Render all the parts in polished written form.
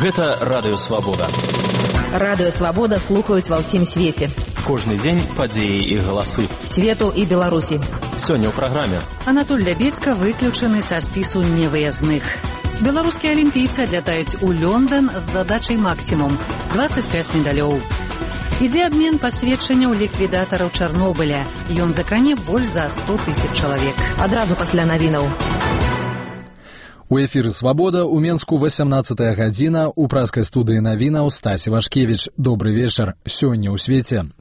Гэта Радыё Свабода. Радыё Свабода слухаюць ва ўсім свеце. Кожны дзень падзеі і галасы. Свету і Беларусі. Сёння ў праграме. Анатоль Лябедзька выключаны са спісу невыязных. Беларускія алімпійцы адлятаюць у Лондон з задачай максімум 25 медалёў. Ідзе абмен пасведчанняў ліквідатараў Чарнобыля. Ён закране больш за 100 000 чалавек. Адразу пасля навінаў. У эфіры «Свабода» у Менску 18 гадзіна, у праскай студыі навінаў Стась Івашкевіч. Добры вечар. Сёння ў свеце.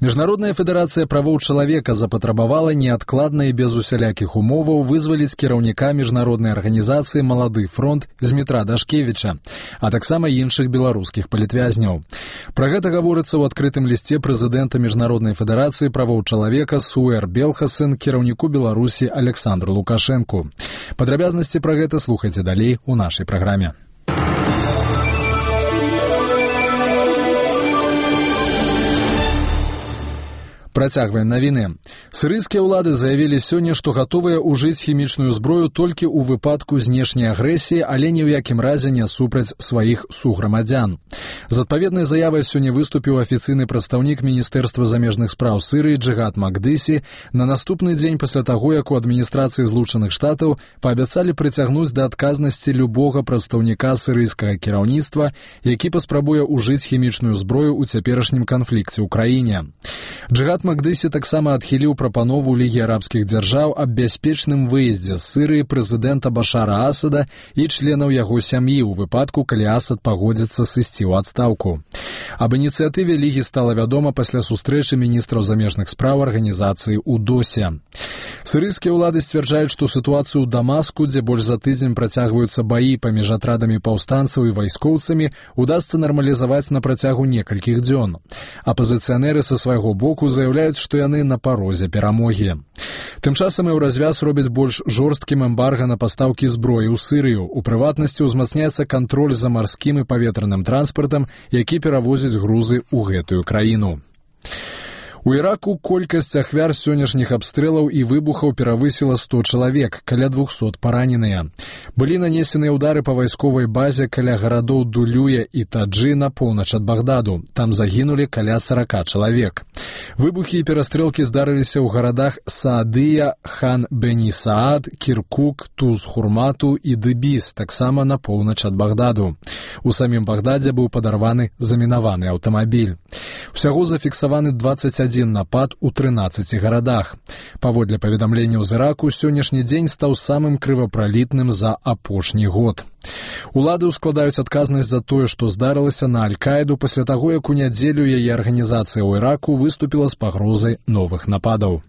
Міжнародная федэрацыя правоў чалавека запатрабавала неадкладна і без усялякіх умоваў вызваліць кіраўніка міжнароднай арганізацыі «Малады фронт» Змітра Дашкевіча, а таксама іншых беларускіх палітвязняў. Пра гэта гаворыцца ў адкрытым лісце прэзідэнта Міжнароднай федэрацыі правоў чалавека Суэр Белхасен кіраўніку Беларусі Александру Лукашэнку. Падрабязнасці пра гэта слухайце далей у нашай праграме. Працягваем навіны. Сірыйскія ўлады заявілі сёння, што гатовыя ўжыць хімічную зброю толькі ў выпадку знешняй агрэсіі, але ні ў якім разе не супраць сваіх суграмадзян. З адпаведнай заявай сёння выступіў афіцыйны прадстаўнік Міністэрства замежных спраў Сірыі Джигат Макдыси на наступны дзень пасля таго, як у адміністрацыі Злучаных Штатаў паабяцалі прыцягнуць да адказнасці любога прадстаўніка сірыйскага кіраўніцтва, які паспрабуе ўжыць хімічную зброю ў цяперашнім канфлікце ў краіне. Джигат Макдыси таксама адхіліў прапанову Лігі арабскіх дзяржаў аб бяспечным выездзе з Сырыі прэзідэнта Башара Асада і членаў яго сям'і ў выпадку, калі Асад пагодзіцца сысці ў адстаўку. Аб ініцыятыве Лігі стала вядома пасля сустрэчы міністраў замежных спраў арганізацыі ў Досе. Сірыйскія ўлады сцвярджаюць, што сітуацыю ў Дамаску, дзе больш за тыдзень працягваюцца баі паміж атрадамі паўстанцаў і вайскоўцамі, удасца нармалізаваць на працягу некалькіх дзён. Апазіцыянеры са свайго боку заяўляюць, што яны на парозе перамогі. Тым часам Еўразвяз робіць больш жорсткім эмбарга на пастаўкі зброі ў Сірыю. У прыватнасці ўзмацняецца кантроль за марскім і паветраным транспартам, які перавозіць грузы ў гэтую краіну. У Іраку колькасць ахвяр сённяшніх абстрэлаў і выбухаў перавысіла 100 чалавек, каля 200 параненыя. Былі нанесеныя ўдары па вайсковай базе каля гарадоў Дулюя і Таджы на поўнач ад Багдаду. Там загінулі каля 40 чалавек. Выбухі і перастрэлкі здарыліся ў гарадах Саадыя, Хан-Бені-Саад, Кіркук, Туз-Хурмату і Дыбіс, таксама на поўнач ад Багдаду. У самім Багдадзе быў падарваны замінаваны аўтамабіль. Усяго зафіксаваны 21 напад у 13 гарадах. Паводле паведамленняў з Іраку, сённяшні дзень стаў самым крывапралітным за апошні год. Улады ўскладаюць адказнасць за тое, што здарылася на Аль-Каіду пасля таго, як у нядзелю яе арганізацыя ў Іраку выступіла з пагрозай новых нападаў.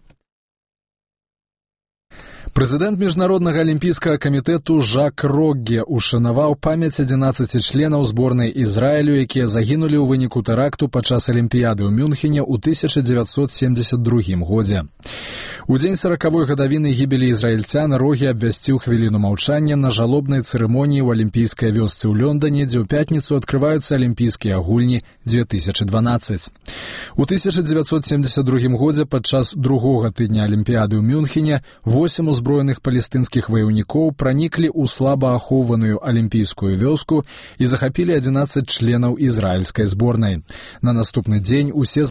Прэзідэнт Міжнароднага алімпійскага камітэту Жак Рогге ушанаваў памяць 11 членаў зборнай Ізраілю, якія загінулі ў выніку тэракту падчас Алімпіяды ў Мюнхене ў 1972 годзе. У дзень 40-й гадавіны гібелі ізраільцян Рогге абвясціў хвіліну маўчання на жалобнай цырымоніі ў алімпійскай вёсцы ў Лондоне, дзе ў пятніцу адкрываюцца алімпійскія гульні 2012. У 1972 годзе падчас другога тыдня Алімпіяды ў Мюнхене 8 узброеных палестынскіх ваяўнікоў праніклі ў слаба ахоўваную алімпійскую вёску і захапілі 11 членаў ізраільскай зборнай. На наступны дзень усе